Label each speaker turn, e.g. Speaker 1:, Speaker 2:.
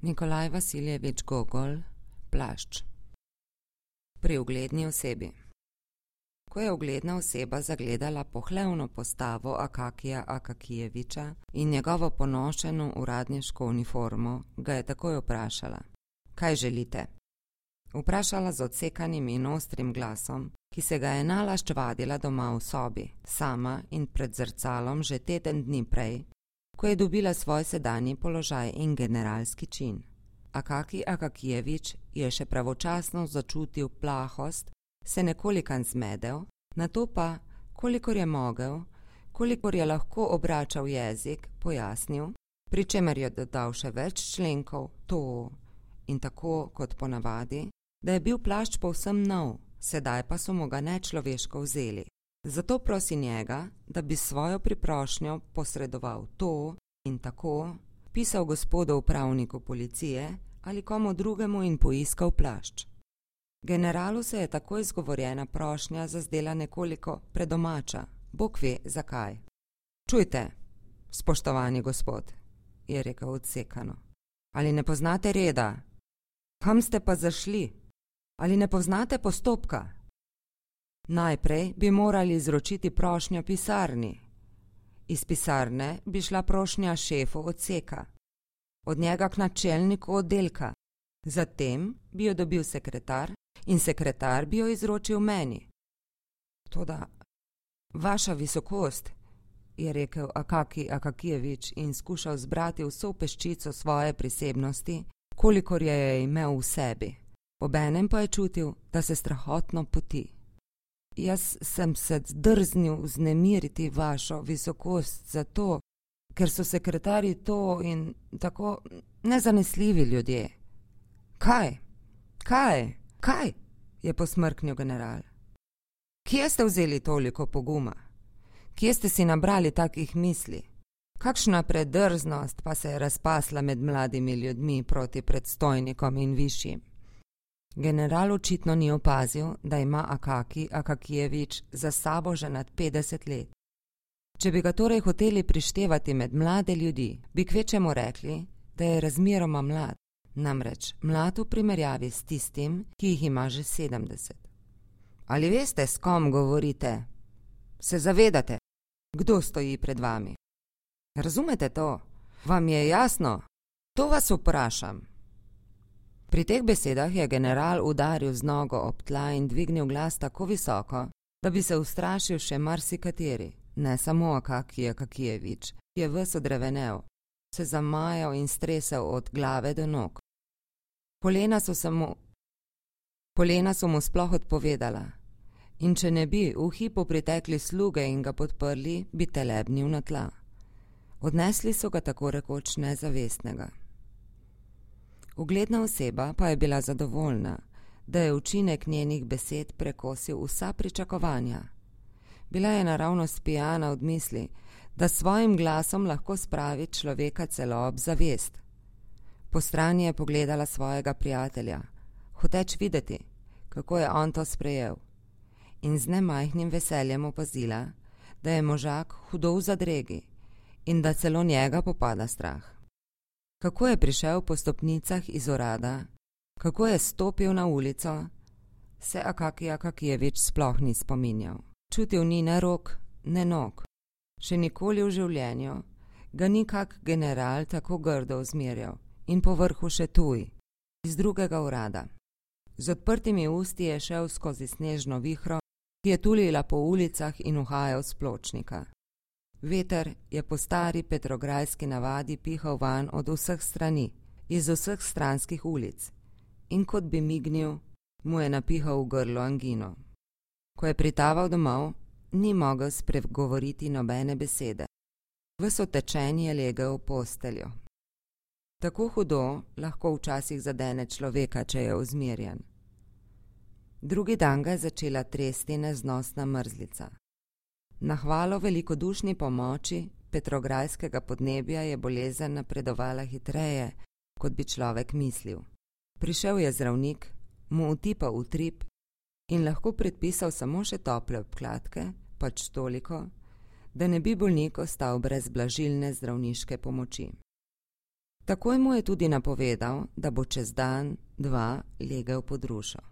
Speaker 1: Nikolaj Vasiljevič Gogol, Plašč. Pri ugledni osebi. Ko je ugledna oseba zagledala pohlevno postavo Akakija Akakijeviča in njegovo ponošeno uradniško uniformo, ga je takoj vprašala: "Kaj želite?" Vprašala z odsekanim in ostrim glasom, ki se ga je nalašč vadila doma v sobi, sama in pred zrcalom že teden dni prej, ko je dobila svoj sedanji položaj in generalski čin. Akaki Akakijevič je še pravočasno začutil plahost, se nekolikan zmedel, nato pa, kolikor je mogel, kolikor je lahko obračal jezik, pojasnil, pri čemer je dodal še več členkov, to in tako kot ponavadi, da je bil plašč povsem nov, sedaj pa so mu ga nečloveško vzeli. Zato prosi njega, da bi svojo priprošnjo posredoval to in tako, pisal gospodu upravniku policije ali komu drugemu in poiskal plašč. Generalu se je tako izgovorjena prošnja zazdela nekoliko predomača, Bog ve zakaj. "Čujte, spoštovani gospod," je rekel odsekano, "ali ne poznate reda? Kam ste pa zašli? Ali ne poznate postopka? Najprej bi morali izročiti prošnjo pisarni. Iz pisarne bi šla prošnja šefu odseka, od njega k načelniku oddelka, zatem bi jo dobil sekretar in sekretar bi jo izročil meni." "Toda, vaša visokost," je rekel Akaki Akakijevič in skušal zbrati vso peščico svoje prisebnosti, kolikor je imel v sebi. Obenem pa je čutil, da se strahotno poti. "Jaz sem se drznil vznemiriti vašo visokost zato, ker so sekretarji to in tako nezanesljivi ljudje." "Kaj? Kaj? Kaj?" je posmrknil general. "Kje ste vzeli toliko poguma? Kje ste si nabrali takih misli? Kakšna predrznost pa se je razpasla med mladimi ljudmi proti predstojnikom in višjim?" General očitno ni opazil, da ima Akaki Akakijevič za sabo že nad 50 let. Če bi ga torej hoteli prištevati med mlade ljudi, bi kvečemu rekli, da je razmeroma mlad, namreč mlad v primerjavi s tistim, ki jih ima že 70. "Ali veste, s kom govorite? Se zavedate, kdo stoji pred vami? Razumete to? Vam je jasno? To vas vprašam." Pri teh besedah je general udaril z nogo ob tla in dvignil glas tako visoko, da bi se ustrašil še marsikateri, ne samo Akaki Akakijevič, ki je ves odrevenel, se zamajal in stresel od glave do nog. Polena so mu sploh odpovedala, in če ne bi v hipu pritekli sluge in ga podprli, bi telebnil na tla. Odnesli so ga tako rekoč nezavestnega. Ugledna oseba pa je bila zadovoljna, da je učinek njenih besed prekosil vsa pričakovanja. Bila je naravnost pijana od misli, da s svojim glasom lahko spravi človeka celo ob zavest. Po strani je pogledala svojega prijatelja, hoteč videti, kako je on to sprejel, in z nemajhnim veseljem opazila, da je možak hudo v zadregi in da celo njega popada strah. Kako je prišel po stopnicah iz urada, kako je stopil na ulico, se Akaki Akakijevič sploh ni spominjal. Čutil ni ne rok, ne nog. Še nikoli v življenju ga ni kak general tako grdo uzmerjal in povrhu še tuj, iz drugega urada. Z odprtimi usti je šel skozi snežno vihro, ki je tulila po ulicah in uhajal s pločnika. Veter je po stari petrograjski navadi pihal van od vseh strani, iz vseh stranskih ulic, in kot bi mignil, mu je napihal v grlo angino. Ko je pritaval domov, ni mogel spregovoriti nobene besede. Ves otečen je legel v posteljo. Tako hudo lahko včasih zadene človeka, če je vzmerjen. Drugi dan ga je začela tresti neznosna mrzlica. Na hvalo velikodušni pomoči petrograjskega podnebja je bolezen napredovala hitreje, kot bi človek mislil. Prišel je zdravnik, mu utipal utrip in lahko predpisal samo še tople obkladke, pač toliko, da ne bi bolnik ostal brez blažilne zdravniške pomoči. Takoj mu je tudi napovedal, da bo čez dan, dva legel pod rušo.